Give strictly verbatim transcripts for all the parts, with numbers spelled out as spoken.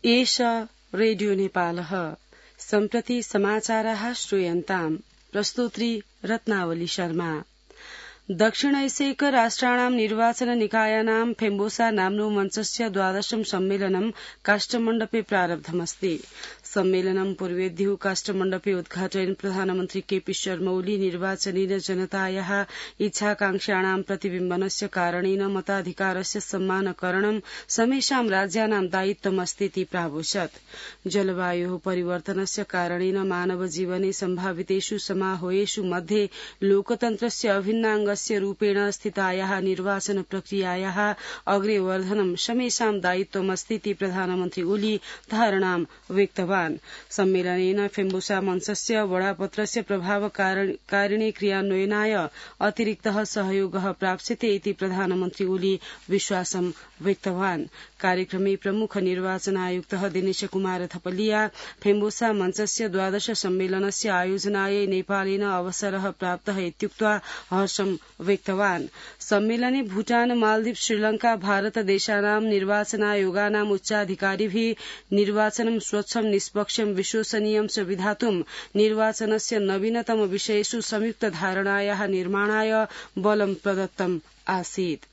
एष रेडियो नेपालः सम्प्रति समाचाराः श्रूयन्ताम् प्रस्तोत्री रत्नावली शर्मा। दक्षिण एशियैक राष्ट्राणां निर्वाचन निकायानां फेम्बोसा नाम्नो मञ्चस्य द्वादशं सम्मेलनं काष्ठमण्डपे प्रारब्धमस्ति। सम्मेलनं पूर्वेद्युः काष्ठमण्डपे उद्घाटयन् प्रधानमन्त्री केपी शर्मा ओली निर्वाचनेन जनतायाः इच्छाकांक्षाणां प्रतिबिम्बनस्य कारणेन मताधिकारस्य सम्मानकरणं समेषां राज्यानां दायित्वमस्तीति प्रावोचत्। जलवायोः परिवर्तनस्य कारणेन मानवजीवने सम्भावितेषु समारोहेषु मध्ये लोकतन्त्रस्य अभिन्नाङ्गस्य रूपेण स्थितायाः निर्वाचन प्रक्रियायाः अग्रेवर्धनं समेषां दायित्वमस्तीति प्रधानमन्त्री ओली धारणां व्यक्तवान्। सम्मेलनेन फेम्बोसा मञ्चस्य वडापत्रस्य प्रभावकारिणे क्रियान्वयनाय अतिरिक्तः सहयोगः प्राप्स्यते इति प्रधानमन्त्री ओली विश्वासं व्यक्तवान्। कार्यक्रमे प्रमुख निर्वाचन आयुक्तः दिनेश कुमार थपलिया फेम्बोसा मञ्चस्य द्वादश सम्मेलनस्य आयोजनायै नेपालेन अवसरः प्राप्तः इत्युक्त्वा हर्षं व्यक्तवान्। सम्मेलने भूटान, मालदीव, श्रीलंका, भारत देशानां निर्वाचनायोगानाम् उच्चाधिकारिभिः निर्वाचनं स्वच्छं, निष्पक्षं, विश्वसनीयं च विधातुं निर्वाचनस्य नवीनतम विषयेषु संयुक्त धारणायाः निर्माणाय बलं प्रदत्तम् आसीत्।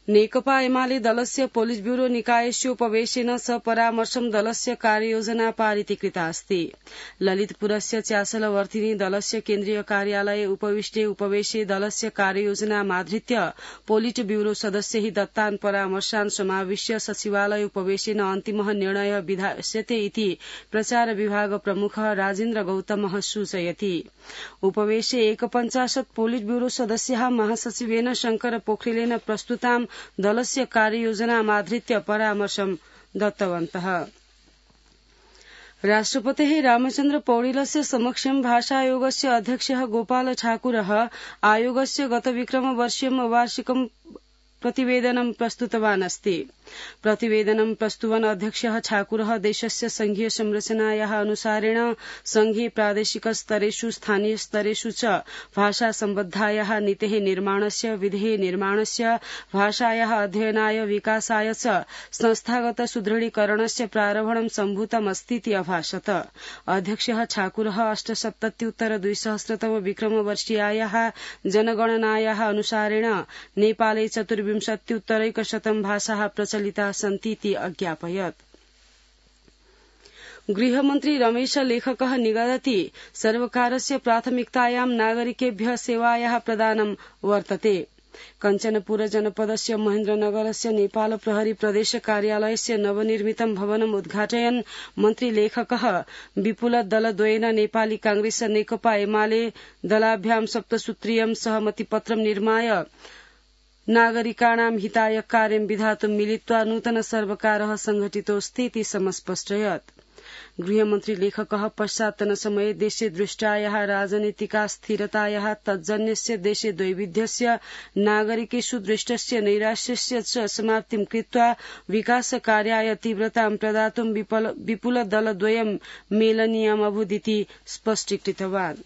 नेकपा एमाले दलस्य पोलिट ब्यूरो निकायस्योपवेशेन सपरामर्शं दलस्य कार्ययोजना पारितीकृता अस्ति। ललितपुरस्य च्यासलवर्तिनी दलस्य केन्द्रीय कार्यालये उपविष्टे उपवेशे दलस्य कार्ययोजनामाधृत्य पोलिट ब्यूरो सदस्यैः दत्तान् परामर्शान् समाविश्य सचिवालय उपवेशेन अन्तिमः निर्णयः विधास्यते इति प्रचार विभाग प्रमुखः राजेन्द्र गौतमः सूचयति। उपवेशे एकपञ्चाशत् पोलिट ब्यूरो सदस्याः महासचिवेन शंकर पोखरेलेन प्रस्तुतां दलस्य कार्ययोजनामाधृत्य परामर्शं दत्तवन्तः। राष्ट्रपतेः रामचन्द्र पौडेलस्य समक्षं भाषायोगस्य अध्यक्षः गोपाल ठाकुरः आयोगस्य गतविक्रमवर्षीयं वार्षिकं प्रतिवेदनं प्रस्तुतवान् अस्ति। प्रतिवेदनं प्रस्तुवन् अध्यक्षः ठाकुरः देशस्य संघीय संरचनायाः अनुसारेण संघीय प्रादेशिक स्तरेषु स्थानीय स्तरेषु च भाषा सम्बद्धायाः नीतेः निर्माणस्य विधेः निर्माणस्य भाषायाः अध्ययनाय विकासाय च संस्थागत सुदृढीकरणस्य प्रारम्भं सम्भूतमस्तीति अभाषत। अध्यक्षः ठाकुरः अष्टसप्तत्युत्तर द्विसहस्रतम विक्रमवर्षीयायाः जनगणनायाः अनुसारेण नेपाले चतुर्विंशत्युत्तरैकशतं भाषाः प्रचलिताः सन्तीति अज्ञापयत्। गृहमन्त्री रमेश लेखकः निगदति सर्वकारस्य प्राथमिकतायां नागरिकेभ्यः सेवायाः प्रदानं वर्तते। कञ्चनपुर जनपदस्य महेन्द्रनगरस्य नेपाल प्रहरी प्रदेश कार्यालयस्य नवनिर्मितं भवनम् उद्घाटयन् मन्त्री लेखकः विपुल दलद्वयेन नेपाली कांग्रेस नेकपा एमाले दलाभ्यां सप्तसूत्रीयं सहमतिपत्रं निर्माय नागरिकाणां हिताय कार्यं विधातुं मिलित्वा नूतन सर्वकारः संघटितोऽस्तीति समस्पष्टयत्। गृहमन्त्री लेखकः पश्चात्तनसमये देशे दृष्टायाः राजनीतिका स्थिरतायाः तज्जन्यस्य देशे दैविध्यस्य नागरिकेषु दृष्टस्य नैराश्यस्य च समाप्तिं कृत्वा विकासकार्याय तीव्रतां प्रदातुं विपुल दलद्वयं मेलनीयमभूदिति स्पष्टीकृतवान्।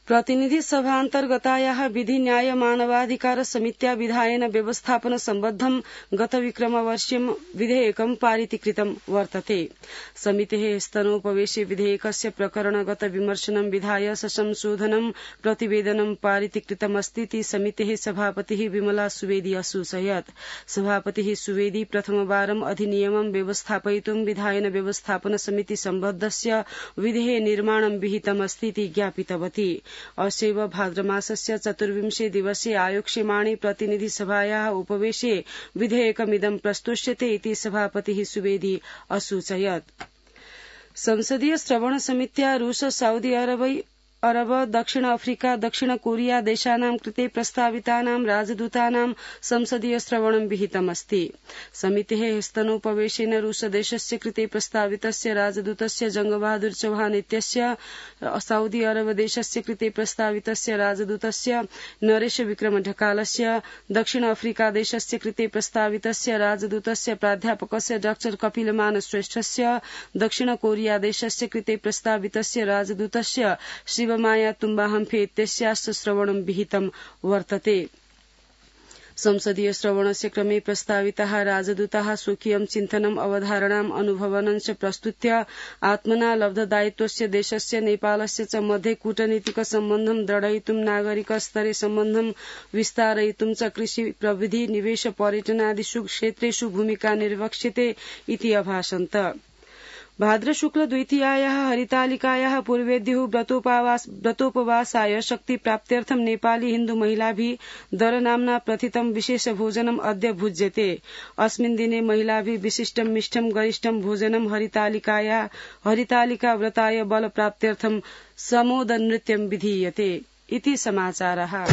प्रतिनिधि सभान्तर्गतायाः विधि न्याय मानवाधिकार समित्या विधायन व्यवस्थापन सम्बद्धं गत विक्रमवर्षीयं विधेयकं पारितीकृतं वर्तते। समितेः स्तनोपवेशे विधेयकस्य प्रकरणगत विमर्शनं विधाय ससंशोधनं प्रतिवेदनं पारितीकृतमस्तीति समितेः सभापतिः विमला सुवेदी असूचयत्। सभापतिः सुवेदी प्रथमवारं अधिनियमं व्यवस्थापयितुं विधायन व्यवस्थापन समिति सम्बद्धस्य विधेः निर्माणं विहितमस्तीति ज्ञापितवती। अस्यैव भाद्रमासस्य चतुर्विंशे दिवसे आयोक्ष्यमाणे प्रतिनिधि सभायाः उपवेशे विधेयकमिदं प्रस्तुष्यते इति सभापतिः सुवेदी असूचयत्। संसदीय श्रवण समित्या रूस, सऊदी अरब अरब, दक्षिण अफ्रीका, दक्षिण कोरिया देशानां कृते प्रस्तावितानां राजदूतानां संसदीय श्रवणं विहितमस्ति। समितेः स्तनोपवेशेन रूस देशस्य कृते प्रस्तावितस्य राजदूतस्य जंगबहादुर चौहान इत्यस्य, सऊदी अरब देशस्य कृते प्रस्तावितस्य राजदूतस्य नरेश विक्रम ढकालस्य, दक्षिण अफ्रीका देशस्य कृते प्रस्तावितस्य राजदूतस्य प्राध्यापकस्य डाक्टर कपिलमान श्रेष्ठस्य, दक्षिण कोरिया देशस्य कृते प्रस्तावितस्य राजदूतस्य शिवमाया तुम्बा हम्फे इत्यस्याश्च श्रवणं विहितं वर्तते। संसदीय श्रवणस्य क्रमे प्रस्ताविताः राजदूताः स्वकीयं चिन्तनम् अवधारणाम् अनुभवनं च प्रस्तुत्य आत्मना लब्धदायित्वस्य देशस्य नेपालस्य च मध्ये कूटनीतिक सम्बन्धं दृढयितुं नागरिक स्तरे सम्बन्धं विस्तारयितुं च कृषि प्रविधि निवेश पर्यटनादिषु क्षेत्रेषु भूमिका निर्वक्ष्यते इति अभाषन्त। भाद्र शुक्ल द्वितीयायाः हरितालिकायाः पूर्वेद्युः व्रतोपवासाय शक्तिप्राप्त्यर्थं नेपाली हिन्दू महिलाभिः दरनाम्ना प्रथितं विशेष भोजनम् अद्य भुज्यते। अस्मिन् दिने महिलाभिः विशिष्टं मिष्टं गरिष्ठं भोजनं हरितालिकाया हरितालिका व्रताय बलप्राप्त्यर्थं समोदनृत्यं विधीयते इति समाचारः।